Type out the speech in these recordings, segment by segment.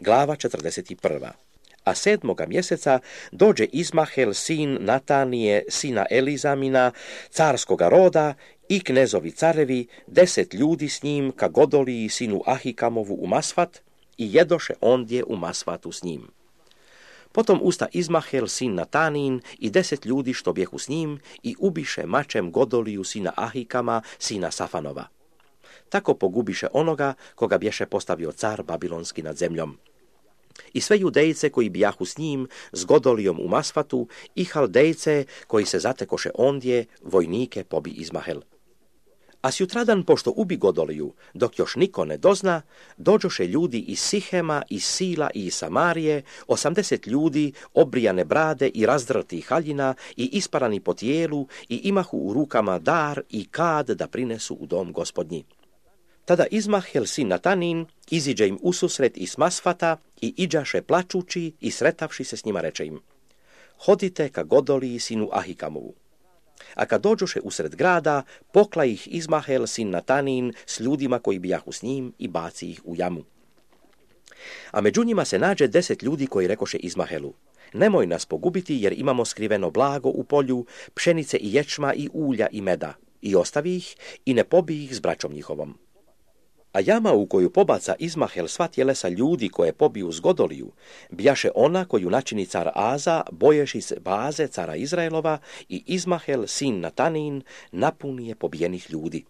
glava 41. A 7. mjeseca dođe Izmahel, sin Natanije, sina Elizamina, carskoga roda, i knezovi carevi, 10 ljudi s njim, ka Godoliji, sinu Ahikamovu, u Masfat, i jedoše ondje u Masfatu s njim. Potom usta Izmahel, sin Natanin, i 10 ljudi što bjehu s njim, i ubiše mačem Godoliju, sina Ahikama, sina Safanova. Tako pogubiše onoga koga bješe postavio car babilonski nad zemljom. I sve Judejce koji bijahu s njim, s Godolijom u Masfatu, i Haldejce koji se zatekoše ondje, vojnike pobi Izmahel. A sjutradan, pošto ubi Godoliju, dok još niko ne dozna, dođoše ljudi iz Sihema, iz Sila i iz Samarije, 80 ljudi, obrijane brade i razdrtih haljina i isparani po tijelu, i imahu u rukama dar i kad da prinesu u dom Gospodnji. Tada Izmahel, sin Natanin, iziđe im ususret iz Masfata i iđaše plačući i sretavši se s njima reče im: hodite ka Godoliji, sinu Ahikamovu. A kad dođoše usred grada, pokla ih Izmahel, sin Natanin, s ljudima koji bijahu s njim, i baci ih u jamu. A među njima se nađe 10 ljudi koji rekoše Izmahelu: nemoj nas pogubiti, jer imamo skriveno blago u polju, pšenice i ječma i ulja i meda, i ostavi ih i ne pobij ih s braćom njihovom. A jama u koju pobaca Izmahel sva tjelesa ljudi koje pobiju s Godoliju, bijaše ona koju načini car Aza, boješi se baze cara Izraelova, i Izmahel, sin Natanin, napuni je pobijenih ljudi.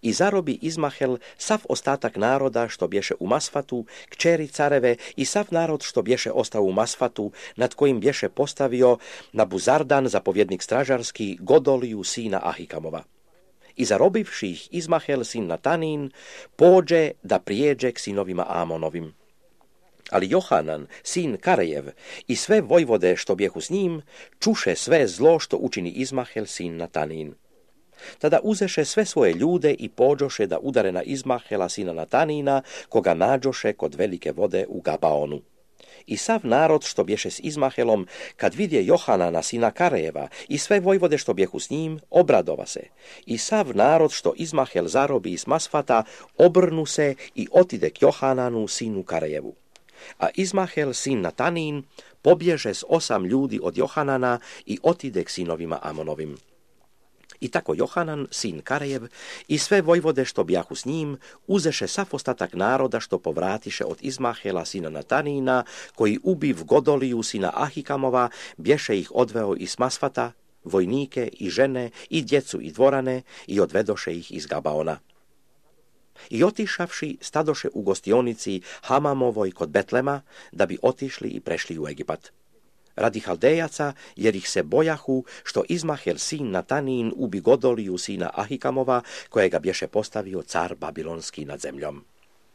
I zarobi Izmahel sav ostatak naroda što bješe u Masfatu, kćeri careve, i sav narod što bješe ostao u Masfatu, nad kojim bješe postavio Nabuzardan, zapovjednik stražarski, Godoliju, sina Ahikamova. I zarobivši ih Izmahel, sin Natanin, pođe da prijeđe k sinovima Amonovim. Ali Johanan, sin Karejev, i sve vojvode što bjehu s njim, čuše sve zlo što učini Izmahel, sin Natanin. Tada uzeše sve svoje ljude i pođoše da udare na Izmahela, sina Natanina, koga nađoše kod velike vode u Gabaonu. I sav narod što bješe s Izmahelom, kad vidje Johanana, sina Karejeva, i sve vojvode što bjehu s njim, obradova se. I sav narod što Izmahel zarobi iz Masfata, obrnu se i otide k Johananu, sinu Karejevu. A Izmahel, sin Natanin, pobježe s 8 ljudi od Johanana i otide k sinovima Amonovim. I tako Johanan, sin Karejev, i sve vojvode što bijahu s njim, uzeše sav ostatak naroda što povratiše od Izmahela, sina Natanina, koji ubiv Godoliju, sina Ahikamova, bješe ih odveo iz Masfata, vojnike i žene i djecu i dvorane, i odvedoše ih iz Gabaona. I otišavši, stadoše u gostionici Hamamovoj kod Betlema, da bi otišli i prešli u Egipat. Radi Haldejaca, jer ih se bojahu, što Izmahel, sin Natanin, ubi Godoliju, sina Ahikamova, kojega bješe postavio car babilonski nad zemljom.